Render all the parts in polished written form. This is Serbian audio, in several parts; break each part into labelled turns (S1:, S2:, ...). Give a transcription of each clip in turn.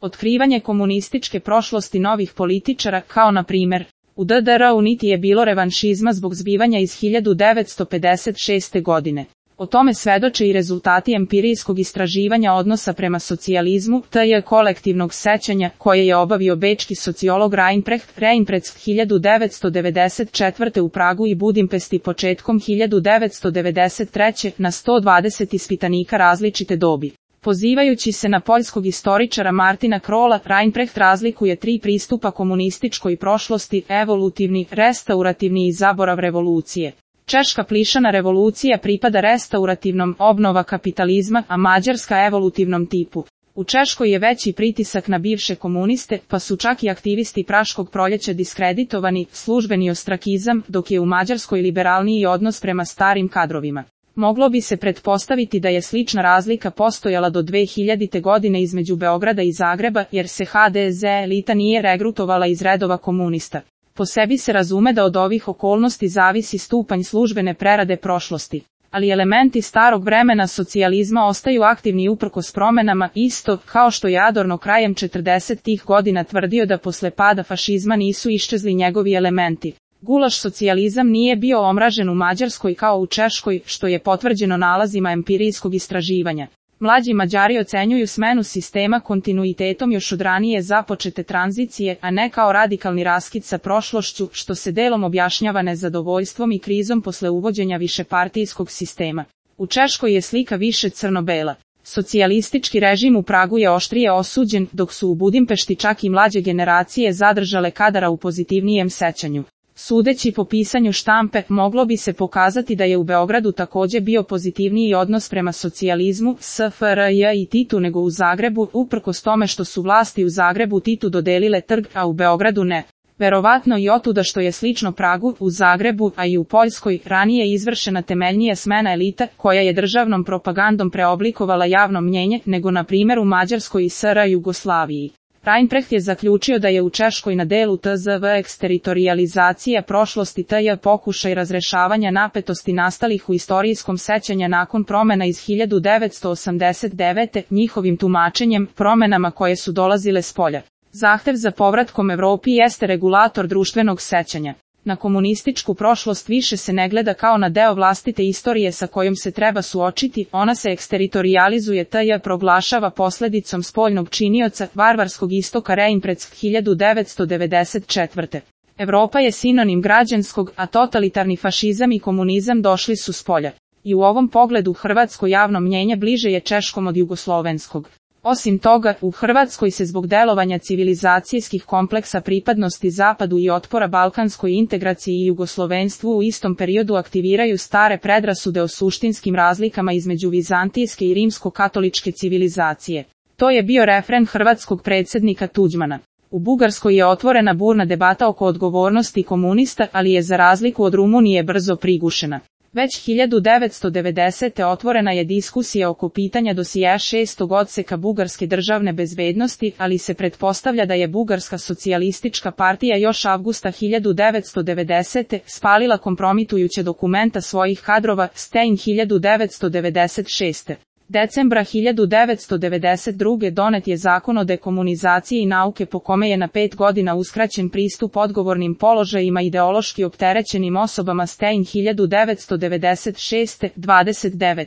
S1: Otkrivanje komunističke prošlosti novih političara, kao na primjer, u DDR-u niti je bilo revanšizma zbog zbivanja iz 1956. godine. O tome svedoče i rezultati empirijskog istraživanja odnosa prema socijalizmu, tj. kolektivnog sećanja, koje je obavio bečki sociolog Reinprecht 1994. u Pragu i Budimpešti početkom 1993. na 120 ispitanika različite dobi. Pozivajući se na poljskog istoričara Martina Krola, Reinprecht razlikuje tri pristupa komunističkoj prošlosti: evolutivni, restaurativni i zaborav revolucije. Češka plišana revolucija pripada restaurativnom, obnova kapitalizma, a mađarska evolutivnom tipu. U Češkoj je veći pritisak na bivše komuniste, pa su čak i aktivisti Praškog proljeća diskreditovani, službeni ostrakizam, dok je u Mađarskoj liberalniji odnos prema starim kadrovima. Moglo bi se pretpostaviti da je slična razlika postojala do 2000. godine između Beograda i Zagreba, jer se HDZ elita nije regrutovala iz redova komunista. Po sebi se razume da od ovih okolnosti zavisi stupanj službene prerade prošlosti. Ali elementi starog vremena socijalizma ostaju aktivni uprkos promenama, isto kao što je Adorno krajem 40-ih godina tvrdio da posle pada fašizma nisu iščezli njegovi elementi. Gulaš socijalizam nije bio omražen u Mađarskoj kao u Češkoj, što je potvrđeno nalazima empirijskog istraživanja. Mlađi Mađari ocenjuju smenu sistema kontinuitetom još od ranije započete tranzicije, a ne kao radikalni raskid sa prošlošću, što se delom objašnjava nezadovoljstvom i krizom posle uvođenja višepartijskog sistema. U Češkoj je slika više crno-bela. Socijalistički režim u Pragu je oštrije osuđen, dok su u Budimpešti čak i mlađe generacije zadržale kadara u pozitivnijem sećanju. Sudeći po pisanju štampe, moglo bi se pokazati da je u Beogradu također bio pozitivniji odnos prema socijalizmu, SFRJ i Titu nego u Zagrebu, uprkos tome što su vlasti u Zagrebu Titu dodelile trg, a u Beogradu ne. Verovatno i otuda što je slično Pragu, u Zagrebu, a i u Poljskoj, ranije izvršena temeljnija smena elita, koja je državnom propagandom preoblikovala javno mnjenje, nego na primjer u Mađarskoj i SR Jugoslaviji. Reinprecht je zaključio da je u Češkoj na delu tzv. Eksteritorializacija prošlosti tj. pokušaj razrešavanja napetosti nastalih u istorijskom sećanja nakon promena iz 1989. njihovim tumačenjem, promenama koje su dolazile spolja. Zahtev za povratkom Evropi jeste regulator društvenog sećanja. Na komunističku prošlost više se ne gleda kao na deo vlastite istorije sa kojom se treba suočiti, ona se eksteritorializuje tj. proglašava posledicom spoljnog činioca, varvarskog istoka Reinprecht 1994. Evropa je sinonim građanskog, a totalitarni fašizam i komunizam došli su spolja. I u ovom pogledu hrvatsko javno mnjenje bliže je češkom od jugoslovenskog. Osim toga, u Hrvatskoj se zbog delovanja civilizacijskih kompleksa pripadnosti Zapadu i otpora balkanskoj integraciji i jugoslovenstvu u istom periodu aktiviraju stare predrasude o suštinskim razlikama između vizantijske i rimsko-katoličke civilizacije. To je bio refren hrvatskog predsjednika Tuđmana. U Bugarskoj je otvorena burna debata oko odgovornosti komunista, ali je za razliku od Rumunije brzo prigušena. Već 1990. otvorena je diskusija oko pitanja dosjea 6. odseka bugarske državne bezbednosti, ali se pretpostavlja da je Bugarska socijalistička partija još avgusta 1990. spalila kompromitujuće dokumenta svojih kadrova, Stein 1996. Decembra 1992. donet je zakon o dekomunizaciji nauke po kome je na 5 godina uskraćen pristup odgovornim položajima ideološki opterećenim osobama. Stein 1996. 29.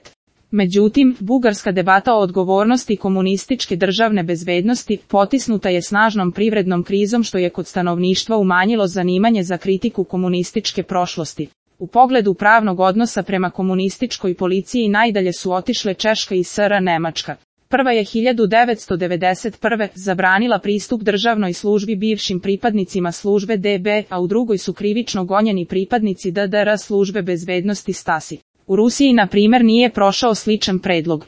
S1: Međutim, bugarska debata o odgovornosti komunističke državne bezbednosti potisnuta je snažnom privrednom krizom što je kod stanovništva umanjilo zanimanje za kritiku komunističke prošlosti. U pogledu pravnog odnosa prema komunističkoj policiji najdalje su otišle Češka i SR Nemačka. Prva je 1991. zabranila pristup državnoj službi bivšim pripadnicima službe DB, a u drugoj su krivično gonjeni pripadnici DDR službe bezbednosti Stasi. U Rusiji, na primjer, nije prošao sličan predlog.